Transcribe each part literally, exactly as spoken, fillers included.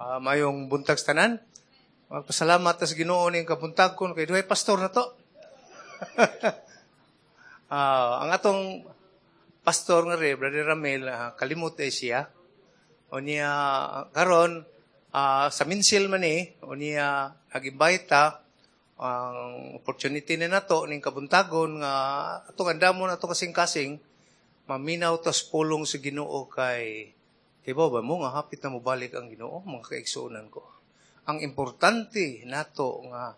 Uh, mayong buntag sa tanan. Magpasalamat ta sa Ginoo ning kabuntag kon kay duhay pastor na to. uh, ang atong pastor nga re, Brother Ramel, uh, kalimot ay siya. O niya karon uh, sa minsil man ni, o niya nag-invite ta ang opportunity ni nato ning kabuntagon nga atong andamon ato kasing-kasing maminaw tas pulong sa Ginoo kay Kibaw ba mo nga hapit na mobalik ang Ginoo mga kaigsuonan ko. Ang importante nato nga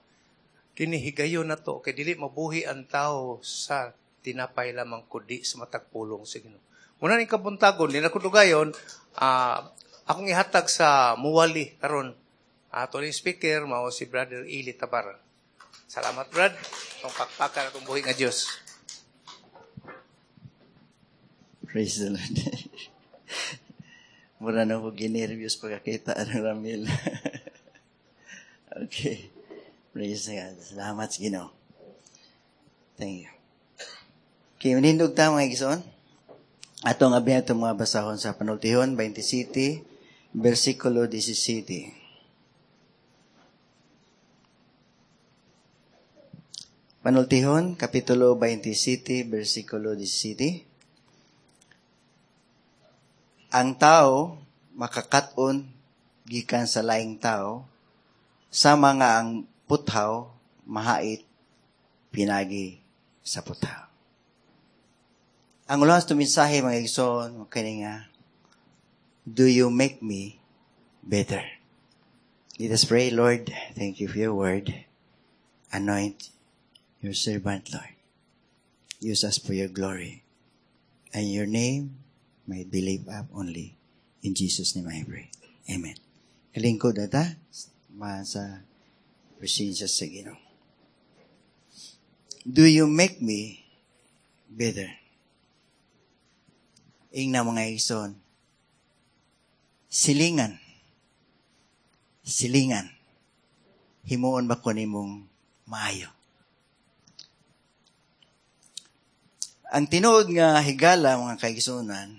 kini higayon nato kay dili mabuhi ang tao sa tinapay lamang kundi sa matag pulong sa Ginoo. Muna ning kabuntagon di na ko dugayon uh, akong ihatag sa muwali karon ato ni speaker mao si Brother Eli Tabar. Salamat Brad. Itong pakpakan atong buhi nga Dios. Praise the Lord. Mura na ko ginervyos pagkakita ng Ramil. okay. Praise God. Salamat sa Ginoo. Thank you. Okay, manindog ta mga igsoon. Atong abi atong mga basahon sa Panultihon, twenty-seven, versikulo seventeen. Panultihon, Kapitulo twenty-seven, versikulo seventeen. Ang tao makakat-on gikan sa laing tao, sama nga ang puthaw mahait pinagi sa puthaw. Ang ulas to mensahe mga igsoon kini nga, do you make me better? Let us pray. Lord, thank you for your word. Anoint your servant, Lord. Use us for your glory. And your name may be lifted up only. In Jesus' name I pray. Amen. Kalingkod na ta, sa presensya sa Ginoo. Do you make me better? Ingna mga igsoon, silingan, silingan, himuon ba ko nimong maayo? Ang tinuod nga higala mga kaigsuonan,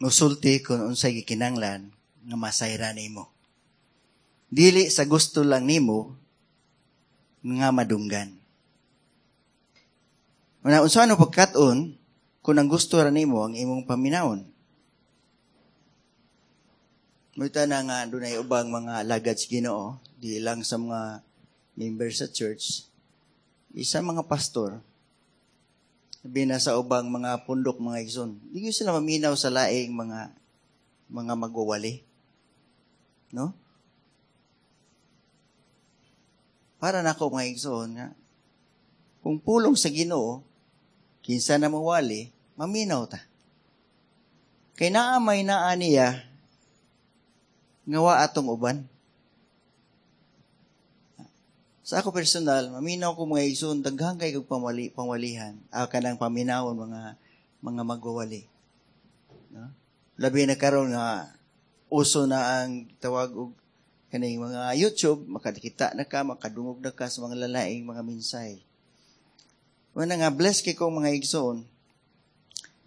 musulti kung unsay gikinahanglan nga masayra nimo. Dili sa gusto lang nimo nga madunggan. Una, unsa ano pagkat-on kung ang gusto ra nimo ang imong paminawon? Muta na nga dunay ubang mga alagad sa Ginoo, di lang sa mga member sa church, isa mga pastor, sabi na sa ubang mga pundok, mga igsoon, di sila maminaw sa laing mga mga magwawali. No? Para nako mga igsoon nga, kung pulong sa Ginoo, kinsa na mawali, maminaw ta. Kay naa may naa niya nga wa atong uban. Sa ako personal, maminaw ko mga igsoon, daghan kay kog pamali, pamalihan. Ah, kanang paminawon mga mga magwawali. No? Labi na karon nga uso na ang tawag og kaning mga YouTube, makakita na ka, makadungog na ka sa mga lalaing mga mensahe. Wala nga bless kay kong mga igsoon,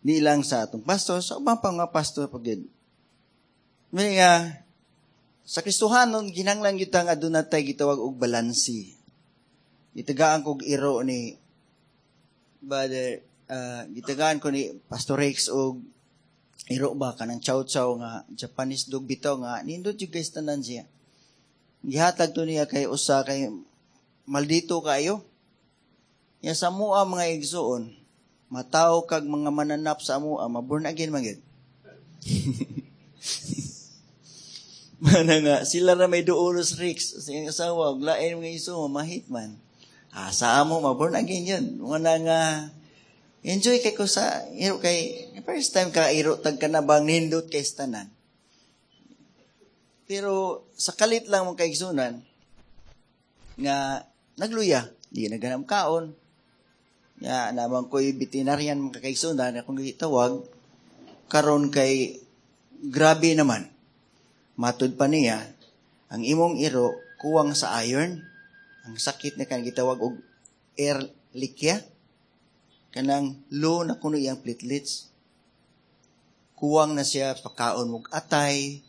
di lang sa atong pastor, sa ubang pa nga pastor pag yun. May nga sa Kristohanon, ginanglan gyud ta nga aduna tay gitawag og balansi. Gitagaan kog iro ni Brother, uh, gitagaan ko ni Pastor Rex og iro ba kanang chow-chow nga Japanese dog bitaw nga nindot jud guys tanan siya. Gihatag to niya kay usa kay maldito kayo. Ya sa mua mga igsoon, mataw kag mga mananap sa mua, maborn again man gyud. Mana nga, sila ra may duolos Rex. Sa iyang asawa, og lain mga iso, mamahit man. Ah, sa amo, maborn again yun. Mana nga, enjoy kay ko sa, iro kay, first time ka, iro, tag ka na bang nindot kay tanan. Pero, sa kalit lang mong kaigsunan, nga, nagluya, di naganam kaon. Nga, naman ko'y veterinarian mga kaigsunan, akong gitawag, karon kay, grabe naman. Matud pa niya, ang imong iro, kuwang sa iron, ang sakit na kanang gitawag og ehrlichia, kanang low na kuno iyang platelets. Kuwang na siya, pagkaon mog atay,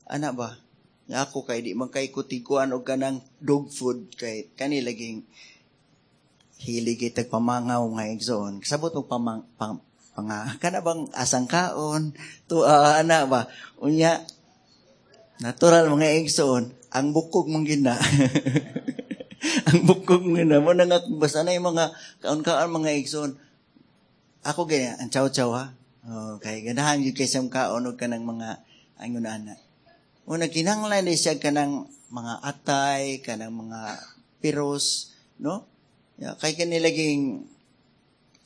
Ana ba? Nya ako kay di man kay kutiguan og kanang dog food kay kani laging hilig kay tagpamangaw mga igsoon. Kasabot mo pamang pang, panga kana bang asang kaon to uh, ana ba unya natural mga igsoon ang bukog man gina ang bukog man gina mo na nga basta na yung mga kaon-kaon mga igsoon ako gaya ang chow-chow ha oh, kay ganahan gyud kay sa kaon og kanang mga angon ana una kinahanglan ni siya kanang mga atay kanang mga piros no ya, kay kani laging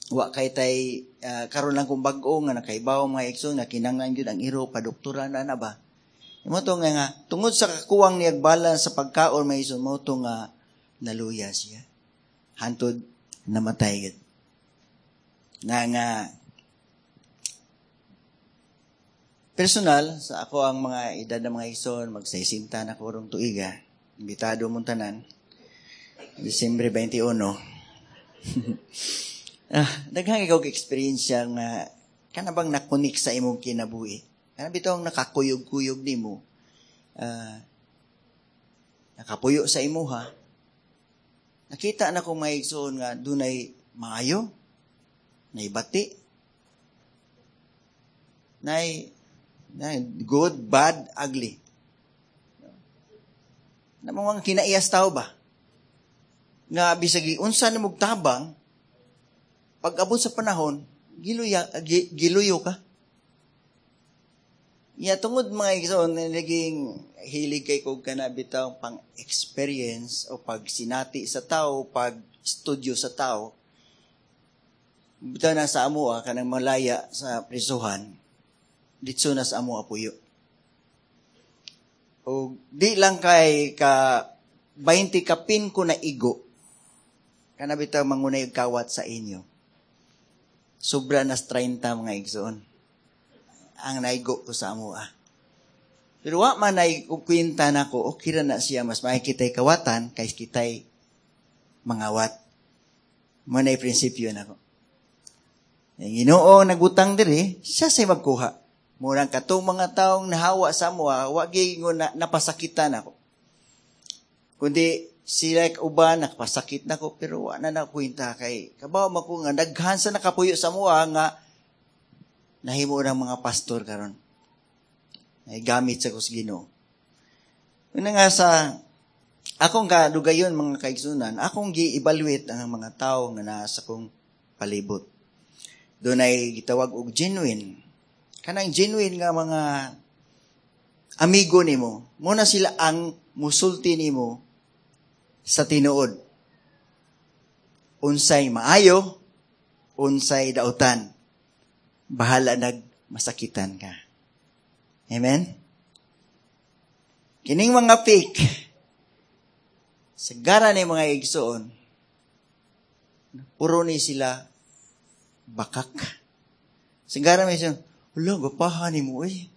wa kay tay uh, karon lang kung bag-o nga nakaibaw mga igsoon nga kinahanglan gyud ang iro padoktoran na na ba mo to nga, nga tungod sa kakuwang niyag balance sa pagkaon mga igsoon mo to nga naluya siya hantod namatay gid na nga personal sa ako ang mga edad ng mga igsoon magsaisinta na ko rong tuiga imbitado mong tanan Disyembre twenty-one Ah, daghang ikaw experience nga kana bang nakunik sa imong kinabuhi. Kana bitaw ang nakakuyog-kuyog nimo. Uh, nakapuyo sa imuha. Nakita na kong mga igsoon nga dunay maayo, naibati, nay, nay good, bad, ugly. Na mga kinaiyas tao ba? Nga bisag unsa na mugtabang, pag abot sa panahon, giluya, giluyo ka. Ya, tungod mga igsoon, naging hilig kay kog kana bitaw pang experience o pag sinati sa tao, pag studio sa tao. Bitaw na sa amo ah, kanang malaya sa prisuhan, ditso na sa amo apuyo. O di lang kay ka twenty kapin ko na igo, kana bitaw mangunay kawat sa inyo. Sobra nas thirty mga igsoon ang naigo ko sa amo ah. Pero wa man ay kwenta nako, okay ra na siya, mas makikita'y kawatan kaysa kita'y mangawat. Mo na prinsipyo nako. Ang Ginoo nagbutang diri, siya say magkuha. Murang katong mga taong nahawa sa amo, wa gyud na napasakitan ako. Kundi sila uban nakapasakit nako pero wa na nakwenta kay kabaw man ko nga daghan sa nakapuyo sa amo nga nahimo ng mga pastor karon. Ay gamit sa kus Ginoo. Una nga sa akong kadugayon mga kaigsunan, akong gi-evaluate ang mga tao nga naa sa kong palibot. Dunay gitawag og genuine. Kanang genuine nga mga amigo nimo, muna sila ang musulti nimo sa tinuod. Unsay maayo, unsay dautan. Bahala nagmasakitan ka. Amen? Kining mga fake, sagara ni mga igsoon, puro ni sila bakak. Sagara may siya, wala, gapahan ni mo, eh.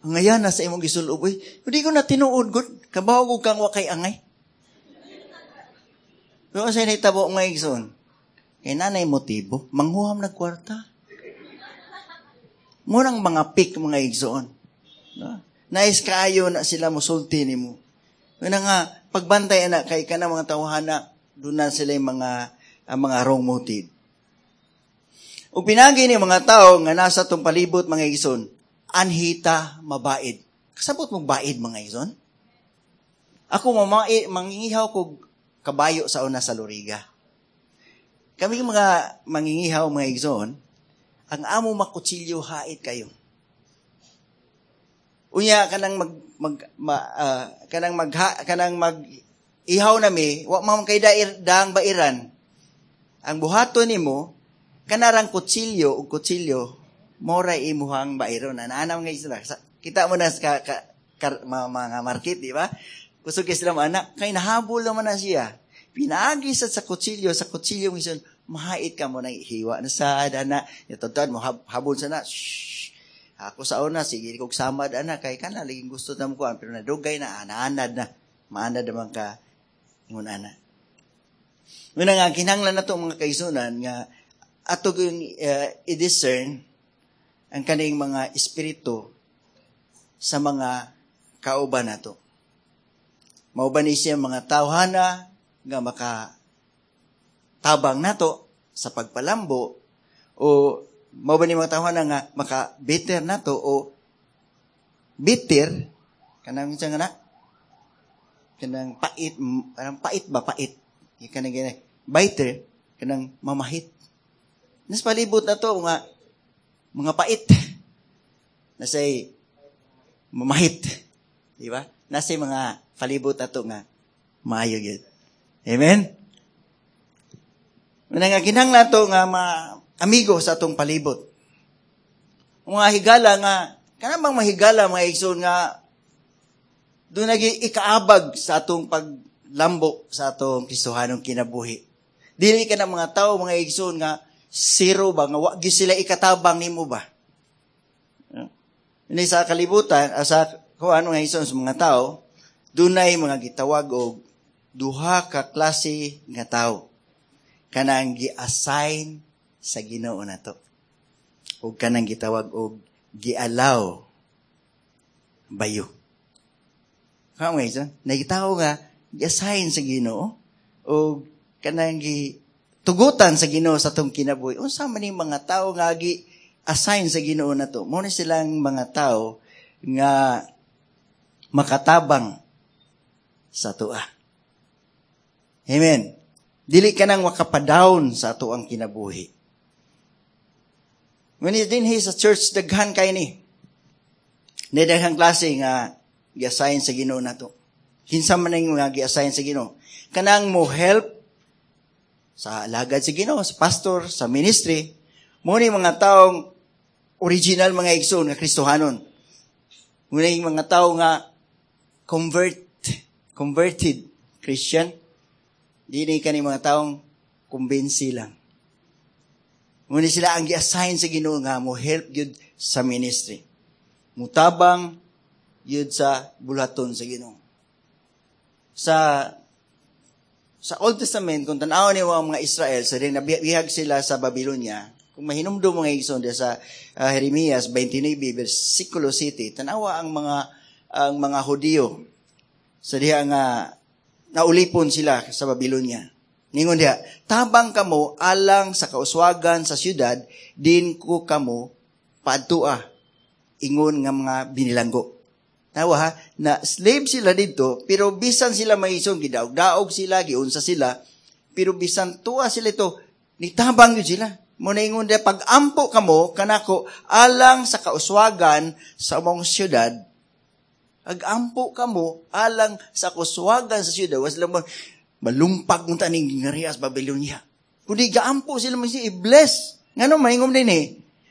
Ang ayan, nasa imong gisulob, eh. Hindi ko na tinuod, good. Kabaw ko kang wakay angay. Pero sa'yo naitabo mga igsoon, kay nanay motibo, manghuham nagkwarta. Munang mga pick mga igsoon. No? Nais kaayo na sila musulti nimo. Una nga, pagbantay na kay ka na mga tawhana, doon na sila yung mga, ang mga wrong motive. O pinagi ni mga tao nga nasa tong palibot mga igsoon, anhita mabaid. Kasabot mong baid mga igsoon? Ako mamai, mangingihaw kog kabayo sa una sa Loriga. Kami mga mangingihaw mga igsoon, ang amo makutsilyo hait kayo. Unya kanang mag mag ma, uh, kanang mag kanang mag ihaw nami, wa man kay dair daang bairan. Ang buhaton nimo kanarang kutsilyo ug kutsilyo mora imuhang bairon. Ana mga isla. Kita mo na sa ka, ka, ka, mga market, di ba? Kusog sila anak kay nahabol naman na siya. Pinaagi sa sa kutsilyo, sa kutsilyo minsan mahait ka mo na hiwa na sa ana itudtod mo hab, habol sa na. Shh. Ako sa una sige kog samad ana kay kana laging gusto na mo kuan pero nadugay na anaanad na maanad naman ka ingon ana. Una nga kinahanglan nato mga kaisunan nga ato gyud uh, i-discern ang kaning mga espiritu sa mga kauban nato. Mao ba ni siya mga tawhana nga maka tabang nato sa pagpalambo o mao ba ni mga tawhana nga maka bitter nato o bitter kanang siya nga na kanang pait kanang pait ba pait kanang gani bitter kanang mamahit nas palibot nato nga mga pait nasay mamahit di ba nasay mga palibot ato nga maayo gyud amen Muna nga kinahanglan to nga ma amigo sa atong palibot. Mga higala nga kanang bang mahigala mga igsoon nga doon nagi ikaabag sa atong paglambo sa atong Kristohanong kinabuhi. Dili ka na mga tao mga igsoon nga zero ba nga wa gyud sila ikatabang nimo ba? Hindi sa kalibutan sa kuan mga igsoon sa mga tao dunay mga gitawag og duha ka klase nga tao kanang gi-assign sa Ginoo nato. Ug kanang gitawag og gi-allow bayo. Kamo isa, nagitawo nga gi-assign sa Ginoo og kanang gi tugutan sa Ginoo sa atong kinabuhi. Unsa man ning mga tao nga gi-assign sa Ginoo nato? Mao ni silang mga tao nga makatabang sa atoa. Amen. Dili ka nang makapadown sa ato ang kinabuhi. When dinhi sa church, daghan kay ni. Ni daghang klase nga gi-assign sa Ginoo nato. Kinsa man ning mga gi-assign sa Ginoo. Kanang mo help sa alagad sa Ginoo, sa pastor, sa ministry, mo ni mga taong original mga igsoon nga Kristohanon. Mo ni mga tao nga convert converted Christian. Dili kani mga taong kumbinsi lang. Muna sila ang gi-assign sa Ginoo nga mo help gyud sa ministry. Mutabang gyud sa bulaton sa Ginoo. Sa sa Old Testament kung tan-awon niyo ang mga Israel sa din nabihag sila sa Babylonia, kung mahinumdum mga igsoon sa uh, Jeremias twenty-nine versikulo siyete, tan-awa ang mga ang mga Hudiyo sa diha nga naulipon sila sa Babylonia. Ningon diha, tabang kamo alang sa kauswagan sa syudad, din ko kamo paadtua, ingon nga mga binilanggo. Tawa ha, na slave sila dito, pero bisan sila maisong, gidaog-daog sila, giunsa sila, pero bisan tuwa sila ito, nitabang yun sila. Muna ingon diha, pag-ampo kamo, kanako, alang sa kauswagan sa among syudad, ag-ampo kamo alang sa kuswagan sa syudad. Was lang malumpag mo taning ngarias Babylonia. Kundi gaampo sila mo siya i-bless. Ngano maingom din eh,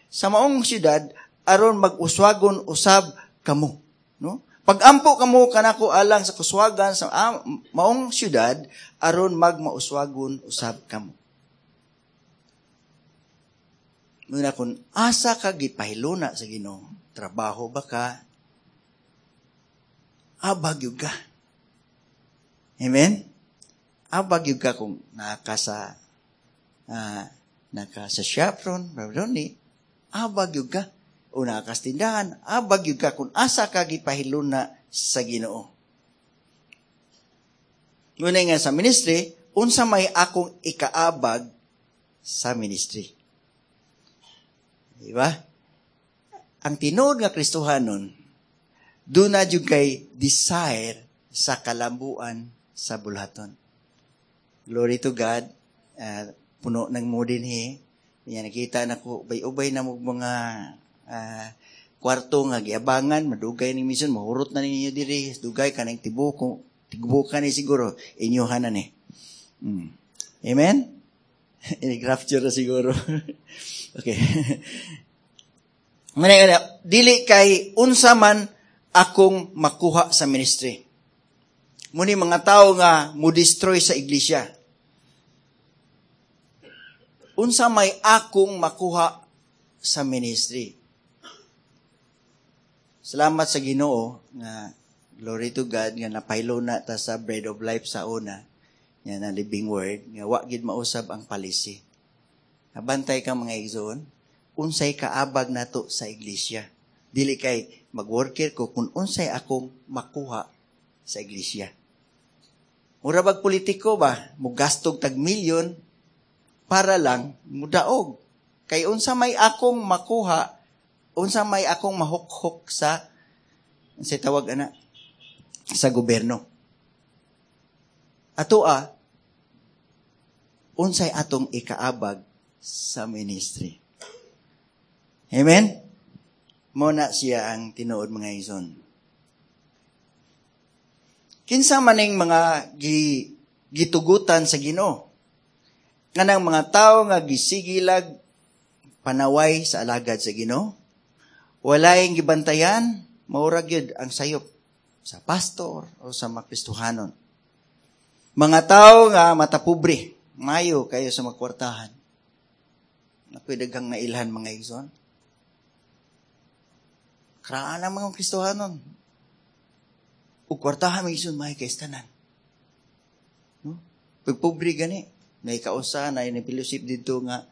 sa maong syudad, aron mag-uswagon usab kamo. No? Pag-ampo kamo kanako alang sa kuswagan sa ah, maong syudad, aron magmauswagon usab kamo. Muna kung asa ka gipahiluna sa Ginoo, trabaho ba ka, abag yun ka. Amen? Abag yun ka kung naka sa, uh, naka sa shop ron, ni, abag yun ka. O naka sa tindahan, abag yun ka kung asa ka gipahiluna sa Ginoo. Muna nga sa ministry, unsa may akong ikaabag sa ministry. Diba? Ang tinuod nga Kristohanon, doon na yung kay desire sa kalambuan sa bulhaton. Glory to God. Uh, puno ng mo din he. Yan, nakita na ko, ubay-ubay na mo mga uh, kwarto nga giabangan, madugay ni mission, mahurot na ninyo diri, dugay ka ng tibuko, tibuka ni siguro, inyuhan na ni. Mm. Amen? Ini-rapture na siguro. Okay. Muna, dili kay unsa man akong makuha sa ministry. Muni mga tao nga mo destroy sa iglesia. Unsa may akong makuha sa ministry. Salamat sa Ginoo nga glory to God nga napaylo na ta sa Bread of Life sa una nga na living word nga wa gid mausab ang palisi. Nabantay ka mga igsoon, unsay kaabag nato sa iglesia. Dili kay Mag-worker ko kung unsay akong makuha sa iglesia. Mura bag politiko ba, mugastog tag milyon para lang mudaog. Kay unsa may akong makuha, unsa may akong mahukhok sa unsay tawag ana sa gobyerno. Atoa, unsay atong ikaabag sa ministry. Amen? Mo na siya ang tinuod, mga igsoon. Kinsa maning mga gi, gitugutan sa Ginoo? Kanang mga tao nga gisigilag panaway sa alagad sa Ginoo? Walay gibantayan, maura gyud ang sayop sa pastor o sa mga Kristohanon. Mga tao nga matapobre, mayo kayo sa makwartahan. Nakoy daghang nailhan, mga igsoon. Karaan ang mga Kristohanon. Ug kwartahan, mga igsoon, may kay tanan. No? Pagpobre gani, nay kausa na ni fellowship dito nga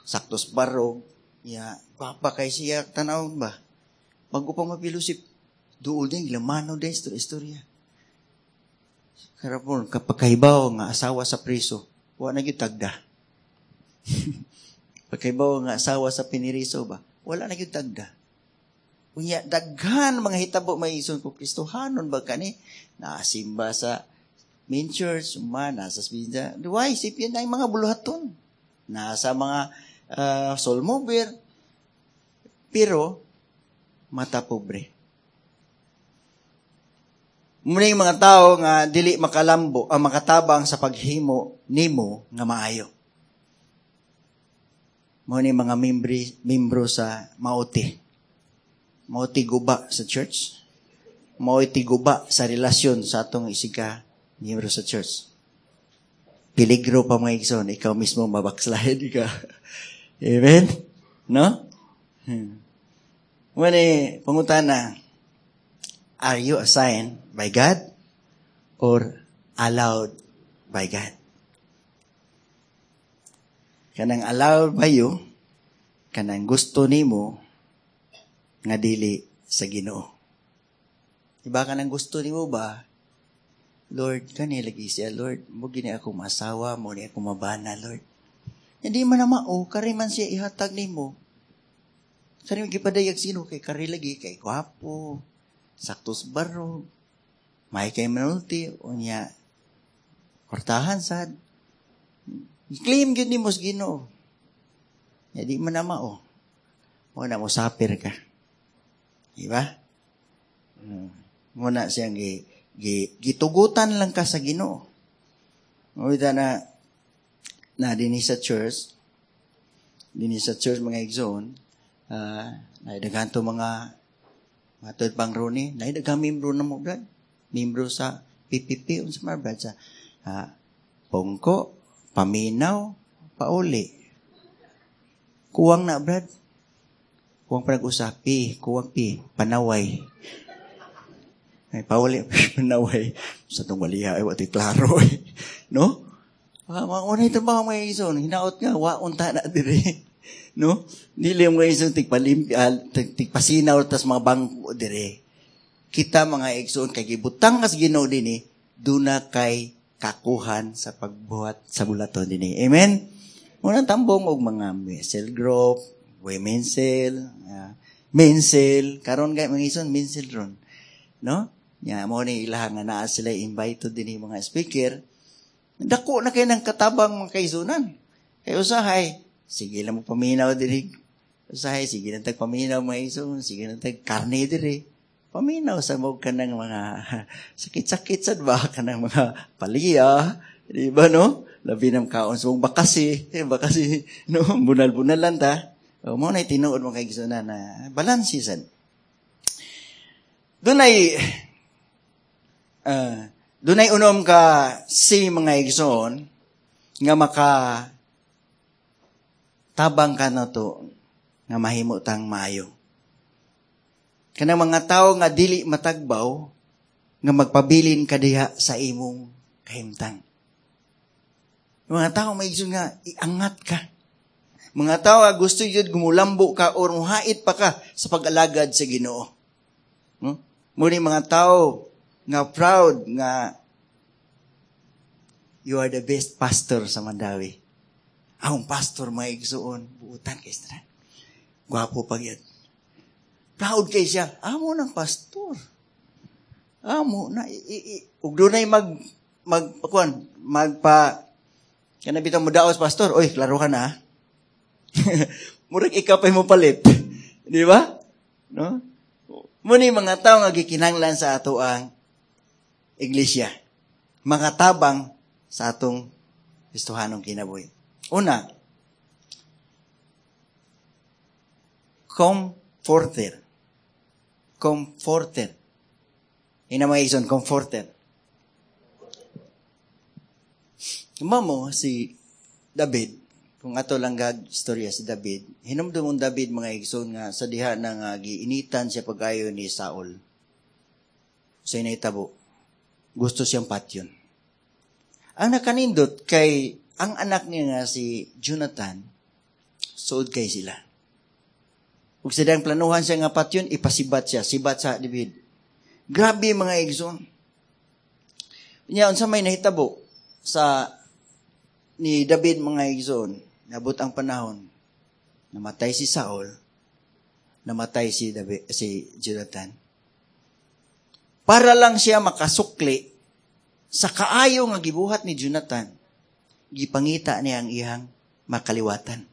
saktos barog, ya, gwapa kay siya tan-aw ba. Bago pa ma-fellowship, duol din, lamano din, istorya, istorya. Karapon, kapag kahibaw nga asawa sa priso, wa na gyud tagda. Pagkahibaw nga asawa sa piniriso ba, wala na gyud tagda. Unya, daghan mga hitabo, may ison ko, Kristohanon ba kani? Nasimba sa main church, uma, nasa spinda. Why? Sipin na yung mga buluhaton. Nasa mga uh, soul mover. Pero, mata pobre. Muna yung mga tao nga dili makalambo, ang makatabang sa paghimo nimo nga maayo. Muna yung mga membri, membro sa Maote. Maote guba sa church. Maote guba sa relasyon sa atong isika miyembro sa church. Peligro pa, mga igsoon, ikaw mismo mabackslide ka. Amen? No? Hmm. Muna, pangutana, are you assigned by God or allowed by God? Kanang allowed by you, kanang gusto nimo nga dili sa Ginoo. Iba kanang gusto nimo ba? Lord, kani lagi siya, Lord, mo gini ako masawa, mo ni ako mabana, Lord. Hindi man na mao, kari man siya ihatag nimo. Kari gipadayag sino kay kari lagi kay gwapo, saktos barog, may kay manulti, unya kwartahan sad. I-claim gyud nimo sa Ginoo. Ya di man na mao. Mo na mo sapir ka. Di ba? Hmm. Mo na siyang gi, gi, gitugutan lang ka sa Ginoo. Mawita na na dinhi sa church, dinhi sa church, mga igsoon, uh, na daghan to mga matod pang roni, na daghang membro na mo, brad. Membro sa P P P, unsa man, brad, sa uh, Pongko, Paminaw, Pauli. Kuwang na, brad. Kuwang pa nag-usap, P, kuwang P, Panaway. Ay, Pauli, Panaway. Sa itong waliha, ay, wati klaro eh. No? Ah, mga unay ito ba, mga igsoon, hinaot nga, wa unta na dire. No? Dili mga igsoon, tigpalimpi, uh, tigpasinaw, tas mga bangko dire. Kita, mga igsoon, kay gibutang kas Ginoo dinhi, duna kay kakuhan sa pagbuhat sa bulaton dinhi. Amen? Unang tambong og mga cell group, women's cell, uh, men's cell, karon kay mga igsoon, men's cell ron. No? Nya mo ni ilaha nga naa sila invite dinhi mga speaker. Dako na kay ng katabang, mga kaisunan. Kay usahay, sige lang mo paminaw dinhi. Usahay, sige lang tag paminaw, mga igsoon, sige lang tag karne diri. Paminaw sa mo ka ng mga sakit-sakit sad ba ka ng mga paliya, di ba, no? Labi ng kaon sa mong bakasi, eh, bakasi, no? Bunal-bunal lang ta. O, mo na tinuod, mga kaigsunan, na balance sad. Dunay uh, dunay unom ka si mga igsoon nga maka tabang ka na to nga mahimo tang maayo. Kanang mga tao nga dili matagbaw nga magpabilin ka diha sa imong kahimtang. Yung mga tao may igsoon nga iangat ka. Mga tao nga gusto yun gumulambo ka or muhait pa ka sa pag-alagad sa Ginoo. No? Muni mga tao nga proud nga you are the best pastor sa Mandawi. Akong pastor mga igsuon, buutan kay sila. Gwapo pa yun. Proud kay siya. Amo ng pastor. Amo na i, i, ug dunay mag mag kuan magpa kana bitaw mo daos pastor. Oy, klaro ka na. Murag ikaw pa'y mo palit. Di ba? No? Muni mga tao nga gikinahanglan sa ato ang iglesia. Mga tabang sa atong Kristohanong kinabuhi. Una, comforter. Comforter. Ina mga ison, comforter. Mamo, si David, kung ato lang gag istorya si David, hinumdum ang David mga igsoon nga sa diha na nga giinitan siya pag-ayo ni Saul. Sa inahitabo, gusto siyang patyon. Ang nakanindot kay ang anak niya nga si Jonathan, suod kay sila. Ug sa diyang planuhan siya nga patyon, ipasibat siya, sibat sa David. Grabe mga igsoon. Nya unsa may nahitabo sa ni David mga igsoon, nabot ang panahon, namatay si Saul, namatay si David, si Jonathan. Para lang siya makasukli sa kaayo nga gibuhat ni Jonathan, gipangita niya ang iyang makaliwatan.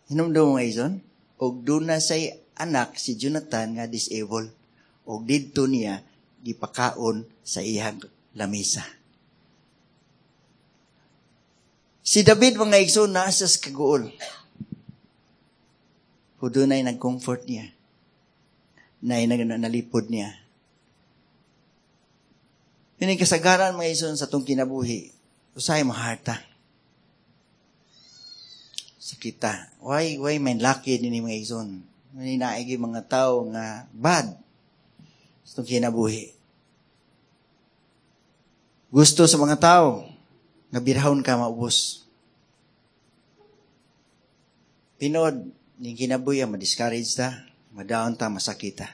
Hinumdum mga igsoon, og duna say anak si Jonathan nga disabled, og didto niya gipakaon sa iyang lamisa. Si David mga igsoon naa siya sa kaguol. O dunay nag-comfort niya. Nay nalipod niya. Yun ang kasagaran mga igsoon sa itong kinabuhi. Usahay maharta. Sakita. Why, why may lucky din mga igsoon? May naigi mga tao nga bad sa itong kinabuhi. Gusto sa mga tao nga birahon ka maubos. Pinod, ning kinabuhi, ma-discourage ta, madaon ta, masakita.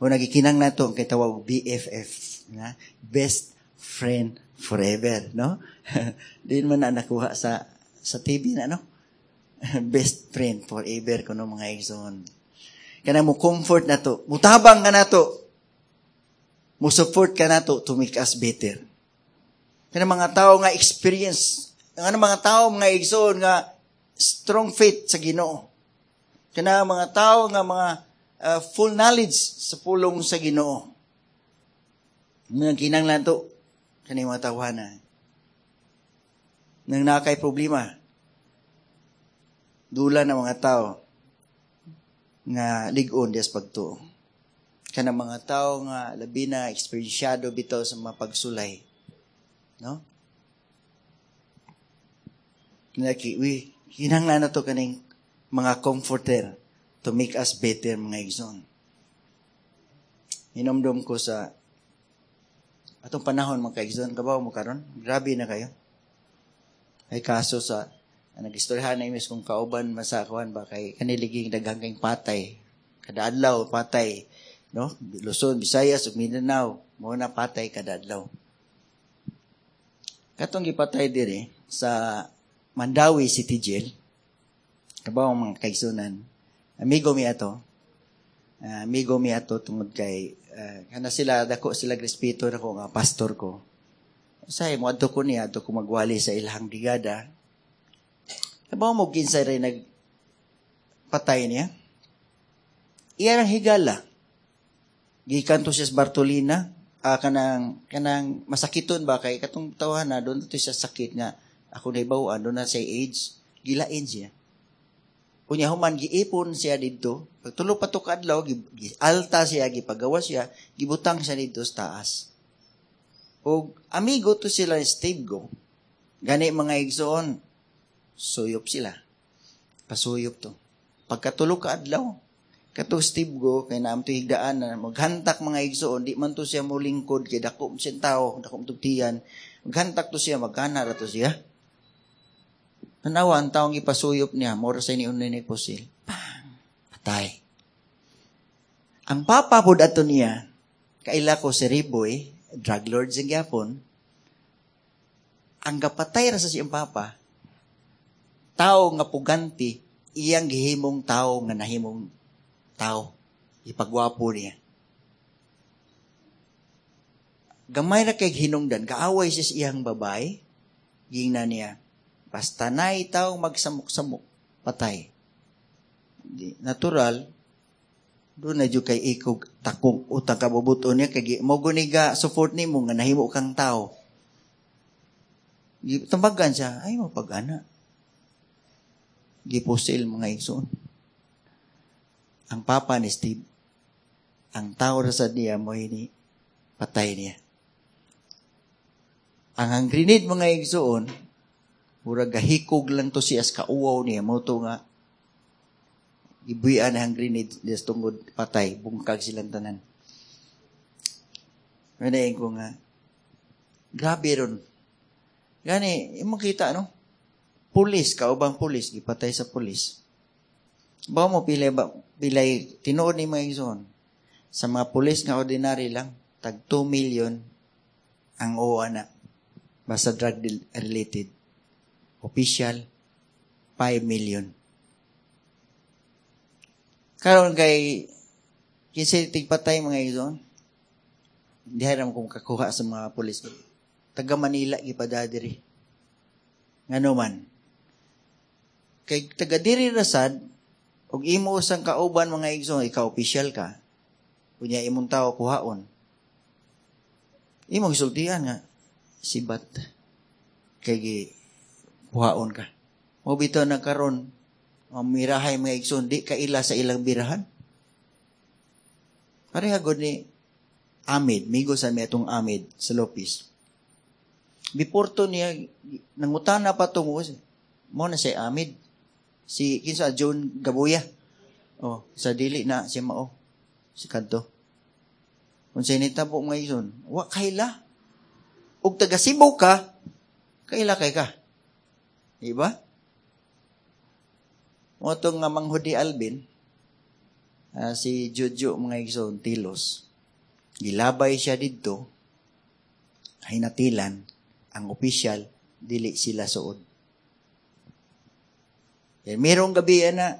O nagikinang na to ang kitawag B F F, na? Best Friend Forever, no? Di man na nakuha sa, sa T V na, no? Best Friend Forever, kuno mga igsoon. Kana mo comfort na to, mutabang ka na to, mo support ka na to to make us better. Kana mga tao nga experience, ang mga tao mga igsoon nga strong faith sa Ginoo. Kana mga tao nga mga uh, full knowledge sa pulong sa Ginoo. Nga kinahanglan to kani mga tawhana. Nang nakay problema, dula na mga tao nga lig-on dias pagtuo. Kana mga tao nga labi na eksperyensyado bitaw sa mga pagsulay. No? Naki, we, kinahanglan na to kaning mga comforter to make us better, mga igsoon. Hinomdom ko sa atong panahon, mga kaigsoon, kabaw mo karon, grabe na kayo. Ay kaso sa, nag-istoryahan na imis kung kauban masakuan ba kay kaniliging daghang kayong patay. Kada adlaw patay, no? Luzon, Visayas ug Mindanao, mo na patay kada adlaw. Katong gipatay diri sa Mandawi City Jail, kabaw mga kaigsunan, amigo mi ato, uh, amigo mi ato tungod kay uh, kana sila dako sila respeto nako nga pastor ko. Usay mo adto ko niya adto ko magwali sa ilahang brigada. Kabaw mo kinsay ray nagpatay niya. Iya ang higala. Gikan to siya sa Bartolina. Uh, kanang kanang masakiton ba kay katong tawahan na doon to siya sakit nga ako nahibaw-an doon na siya AIDS, gilain siya. Unya human giipon siya didto, pagtulo pa to kaadlaw gi alta siya, gipagawa siya, gibutang siya didto sa taas. Og amigo to sila ni Steve Go. Gani mga igsoon, suyop sila. Pasuyop to. Pagkatulo ka adlaw, kato Steve Go, kay naam to higdaan na maghantak mga igsoon, di man to siya mulingkod, kay dako siyang tao, dako tugtiyan. Maghantak to siya, maghana ra to siya. Tanawa, ang taong ipasuyop niya, mora sa ini unay ni pusil. Pang! Patay. Ang papa pod ato niya, kaila ko si Riboy, drug lord sa gyapon, ang gapatay ra sa siyang papa, tao nga puganti, iyang gihimong tao nga nahimong tao. Ipagwapo niya. Gamay ra kay hinungdan, kaaway siya sa iyang babae, gingna niya, basta na'y tao magsamok-samok, patay. Di, natural, doon na dyan kay ikog takong utang kabubuto niya, kay mo guniga support nimo nga nahimo kang tao. Tambagan siya, ay mapag-ana. Gipusil mga igsoon. Ang papa ni Steve, ang tao ra sa niya mo ini patay niya. Ang ang grenade mga igsoon, murag gahikog lang to siya sa kauwaw niya, mo to nga ibuyan ang grenade des tungod patay, bungkag silang tanan. Manayin ko nga, grabe ron. Gani, imong kita, no? Pulis, kaubang pulis, gipatay sa pulis. Ba mo pilay ba, pilay, tinuod ni mga igsoon, sa mga pulis nga ordinary lang, tag two million ang O A na. Basta drug related. Official, five million. Karon kay, kinsa tigpatay mga igsoon, hindi haram kung kakuha sa mga pulis. Taga Manila, gipadadiri. Ngano man. Kay taga diri rasad, og imo usang kauban mga igsoon, ikaw official ka, kunya imong tao kuhaon. Imong gisultihan nga, sibat, kay gi kuhaon ka. Mo bitaw na karon, mamirahay mga igsoon, di kaila sa ilang birahan. Pareha gud ni Amid, migo sa mi atong Amid sa Lopez. Before to niya, nangutana pa tungo, mo na si Amid. Si, kinsa, John Gabuya. Oh, sa dili na, si Mao. Si Kadto. Kung sa initabo mga igsoon, wa kaila. Og taga Cebu ka, kaila kay ka. Diba? Mo itong nga manghudi Alvin, uh, si Jojo mga igsoon, Tilos. Gilabay siya didto, hinatilan, ang opisyal, dili sila suod. Kaya merong gabi na,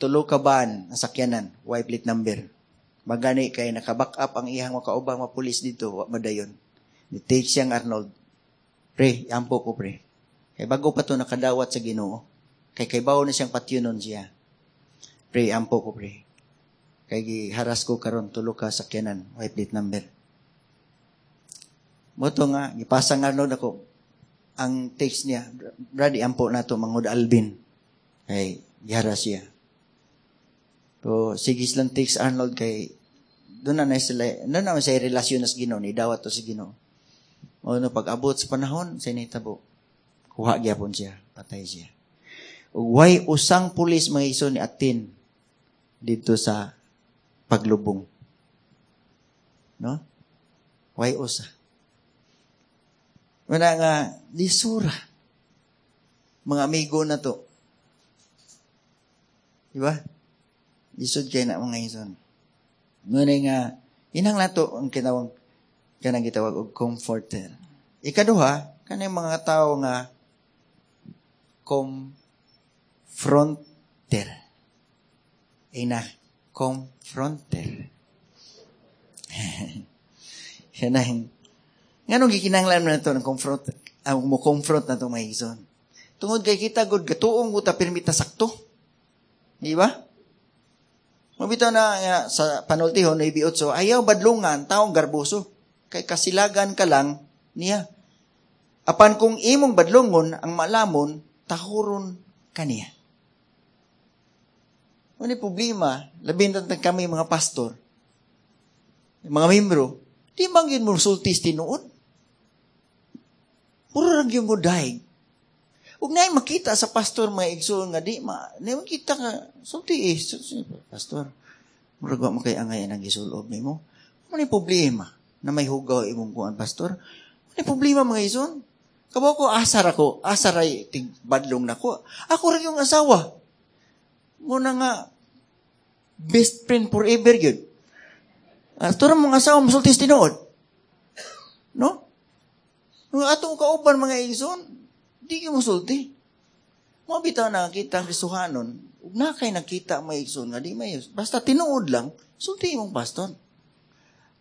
tulo ka ban, nasakyanan, Y plate number. Magani kay naka-back up ang iyang makaubang mapulis dito, wa madayon. Ni-take siyang Arnold. Pre, ampo ko pre. Kay bago pa to nakadawat sa Ginoo. Kay kay bawo na siyang patyunon siya. Pre, ampo ko pre. Kay giharas ko karon tulo ka sakyanan, Y plate number. Moto nga gipasang Arnold ako ang text niya, brady ampo na to mangod Alvin. Kay giharas siya. So, sige silang text Arnold kay doon na na sila, doon na sa relasyon na sa Ginoo, ni dawat to sa Ginoo. O no, pag-abot sa panahon, sa initabo, kuha gyapon siya, patay siya. Way usang pulis mga iso ni atin dito sa paglubong. No? Way usa. Wala nga, lisura. Mga amigo na to. Di ba? Lisod kayo na mga ison. Ngunay nga, inang nato ang kinawang, kanang gitawag og comforter. Ikaduha, kanang mga tao nga confronter. Ina, confronter. Kanang, nganong gikinahanglan man nato ng confront, ang mo confront na itong mga ison. Tungod kay kita, good, gatuong ko ta pirmita sakto. Di ba? Mabitaw na uh, sa panultihon, nine eight, ayaw badlungan, taong garboso. Kay kasilagan ka lang niya. Apan kung imong badlungon, ang malamon, tahuron ka niya. Ano yung problema? Labing tantang kami mga pastor, mga membro, di man yun mo sultis tinuod. Puro lang yun mo daig. Huwag na makita sa pastor mga igsoon nga di ma, di makita ka, sulti eh, sulti, pastor, murag wa mo kay angay ang gisulob nimo. Ano yung problema na may hugaw imong kuan, pastor? Ano yung problema mga igsoon? Kabaw ko, asar ako. Asar ay tigbadlong na ko. Ako rin yung asawa. Muna nga, best friend forever yun. Uh, Turang mong asawa, musultis tinuod. No? Nung atong kauban mga igsoon, di ka musulti. Mga bitaw nakakita ang Kristohanon, ug na kay nakita mga igsoon nga di may basta tinuod lang, sulti imong pastor.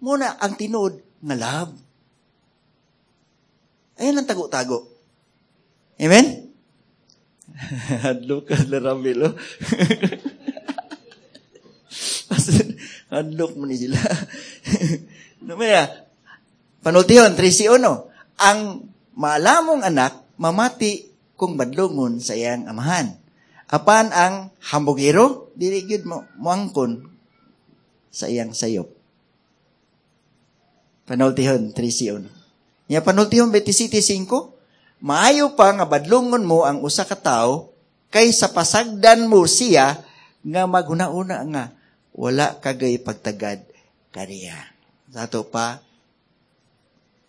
Muna ang tinuod nga love. Ayan ang tago-tago. Amen? Hadlok ka na Ramil, oh. Hadlok mo ni sila. Numaya, panultihon, thirty one. Ang maalamong anak, mamati kung badlongon sa iyang amahan. Apan ang hambugero, dili gyud mo muangkon sa iyang sayop. Panultihon, thirty one. Nya panultihon twenty-seven five, maayo pa nga badlongon mo ang usa ka tawo kaysa pasagdan mo siya nga maghuna-una nga wala kagay pagtagad kaniya. Sa ato pa,